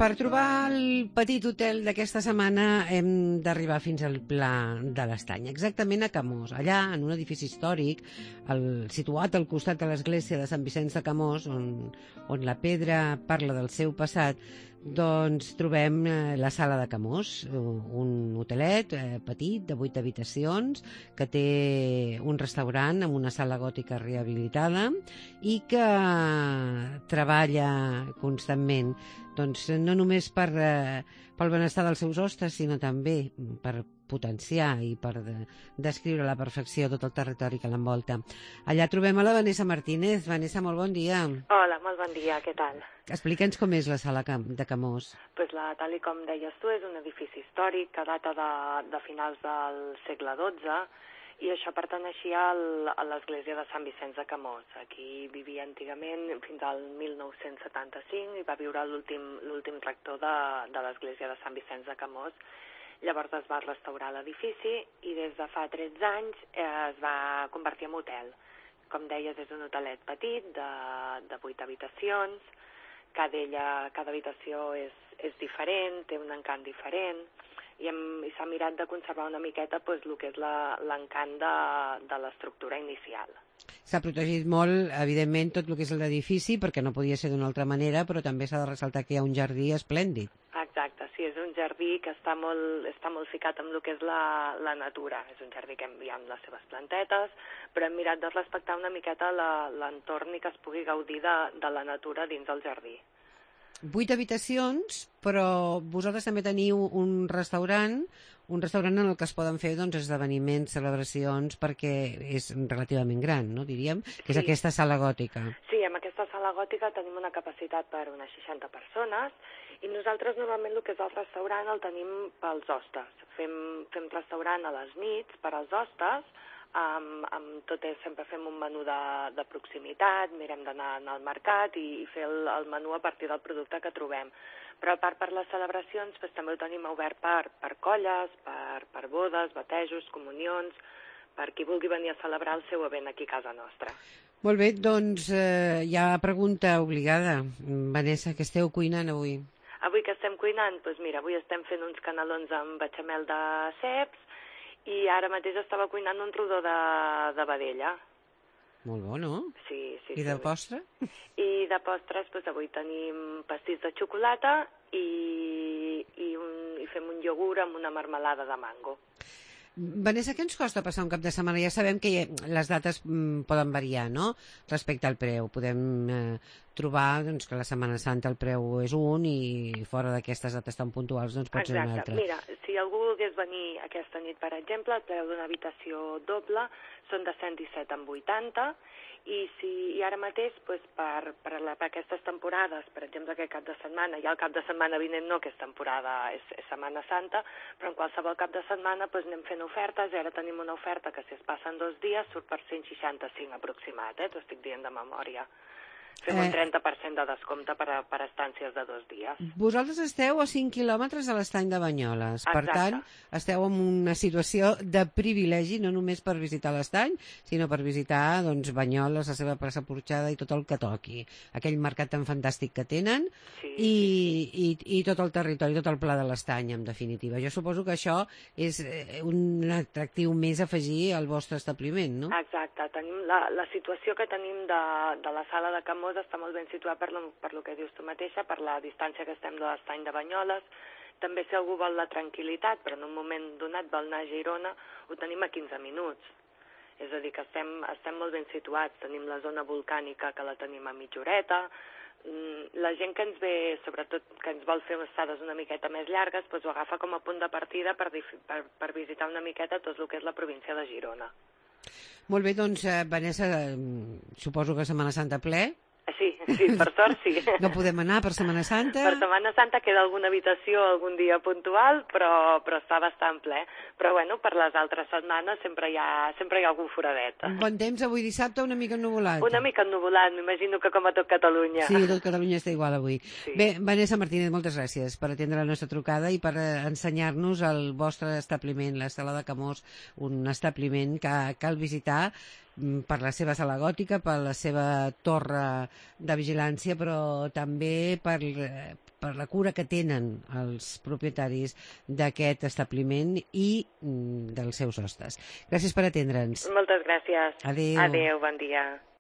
Per trobar el petit hotel d'aquesta setmana hem d'arribar fins al Pla de l'Estany, exactament a Camós. Allà, en un edifici històric, situat al costat de l'església de Sant Vicenç de Camós, on la pedra parla del seu passat, doncs trobem la Sala de Camós, un hotelet petit de 8 habitacions que té un restaurant amb una sala gòtica rehabilitada i que treballa constantment, doncs no només pel benestar dels seus hostes, sinó també per potenciar i per descriure a la perfecció tot el territori que l'envolta. Allà trobem a la Vanessa Martínez. Vanessa, molt bon dia. Hola, molt bon dia, què tal? Explica'ns com és la Sala de Camós. Tal com deies tu, és un edifici històric que data de finals del segle XII i això perteneixia a l'església de Sant Vicenç de Camós. Aquí vivia antigament fins al 1975 i va viure l'últim rector de l'església de Sant Vicenç de Camós. Llavors es va restaurar l'edifici i des de fa 13 anys es va convertir en hotel. Com deies, és un hotelet petit de 8 habitacions. Cada habitació és diferent, té un encant diferent i s'ha mirat de conservar una miqueta el que és l'encant de l'estructura inicial. S'ha protegit molt, evidentment, tot el que és l'edifici, perquè no podia ser d'una altra manera, però també s'ha de ressaltar que hi ha un jardí esplèndid. Exacte, sí, és un jardí que està molt ficat amb el que és la natura. És un jardí que hi ha amb les seves plantetes, però hem mirat de respectar una miqueta l'entorn i que es pugui gaudir de la natura dins del jardí. 8 habitacions, però vosaltres també teniu un restaurant en el que es poden fer esdeveniments, celebracions, perquè és relativament gran, no, diríem, que és aquesta sala gòtica. Sí, amb aquesta sala gòtica tenim una capacitat per unes 60 persones i nosaltres normalment el que és el restaurant el tenim pels hostes. Fem restaurant a les nits per als hostes, sempre fem un menú de proximitat, mirem d'anar al mercat i fer el menú a partir del producte que trobem. Però a part per les celebracions també ho tenim obert per colles, per bodes, batejos, comunions, per qui vulgui venir a celebrar el seu event aquí a casa nostra. Molt bé, doncs hi ha pregunta obligada. Vanessa, què esteu cuinant avui? Avui que estem cuinant? Doncs mira, avui estem fent uns canelons amb bechamel de ceps i ara mateix estava cuinant un rodó de vedella. Molt bo, no? Sí. I de postre? I de postres, avui tenim pastís de xocolata i fem un iogurt amb una marmelada de mango. Vanessa, què ens costa passar un cap de setmana? Ja sabem que les dates poden variar, no?, respecte al preu. Podem trobar que la Setmana Santa el preu és un i fora d'aquestes dates tan puntuals pot ser un altre. Mira, si algú volgués venir aquesta nit, per exemple, el preu d'una habitació doble són de 117,80 i ara mateix per aquestes temporades, per exemple aquest cap de setmana, ja el cap de setmana vinent no, que és temporada, és Setmana Santa, però en qualsevol cap de setmana anem fent ofertes i ara tenim una oferta que si es passen 2 dies surt per 165 aproximat, t'ho estic dient de memòria. Fem un 30% de descompte per estàncies de 2 dies. Vosaltres esteu a 5 quilòmetres de l'Estany de Banyoles. Exacte. Per tant, esteu en una situació de privilegi, no només per visitar l'Estany, sinó per visitar Banyoles, la seva plaça Porxada i tot el que toqui. Aquell mercat tan fantàstic que tenen i tot el territori, tot el Pla de l'Estany, en definitiva. Jo suposo que això és un atractiu més a afegir al vostre establiment, no? Exacte. Tenim la situació que tenim de la sala de Camós està molt ben situat per lo que dius tu mateixa, per la distància que estem de l'Estany de Banyoles. També si algú vol la tranquil·litat, però en un moment donat vol anar a Girona, ho tenim a 15 minuts. És a dir, que estem molt ben situats. Tenim la zona volcànica que la tenim a mitja horeta. La gent que ens ve, sobretot que ens vol fer estades una miqueta més llargues, ho agafa com a punt de partida per visitar una miqueta tot el que és la província de Girona. Molt bé, doncs, Vanessa, suposo que Setmana Santa ple? Sí, per sort sí. No podem anar per Setmana Santa? Per Setmana Santa queda alguna habitació algun dia puntual, però està bastant ple. Però bueno, per les altres setmanes sempre hi ha algun foradet. Bon temps avui dissabte, una mica ennuvolat? Una mica ennuvolat, m'imagino que com a tot Catalunya. Sí, tot Catalunya està igual avui. Sí. Bé, Vanessa Martínez, moltes gràcies per atendre la nostra trucada i per ensenyar-nos el vostre establiment, la Sala de Camós, un establiment que cal visitar per la seva sala gòtica, per la seva torre de de vigilància, però també per la cura que tenen els propietaris d'aquest establiment i dels seus hostes. Gràcies per atendre'ns. Moltes gràcies. Adéu. Adéu, bon dia.